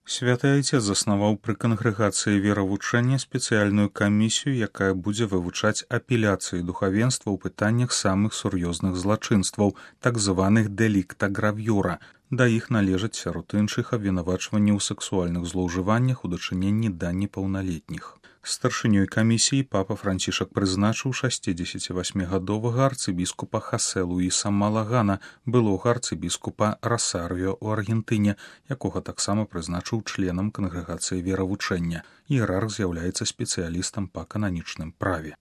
Святы Айцец заснаваў пры кангрэгацыі веравучэння спецыяльную камісію, якая будзе вывучаць апеляцыі духавенства ў пытаннях самых сур'ёзных злачынстваў, так званых дэлікта гравюра. Да іх належаць сярод іншых абвінавачванні ў сексуальных злоўжываннях у дачыненні да непаўналетніх. Старшынёй камісіі папа Францішак прызначыў 68гадовага арцыбіскупа Хасе Луіса Малагана, былога арцыбіскупа Расарыё ў Аргентыне, якога таксама прызначыў членам кангрэгацыі веравучэння. Іерарх з'яўляецца спецыялістам па кананічным праве.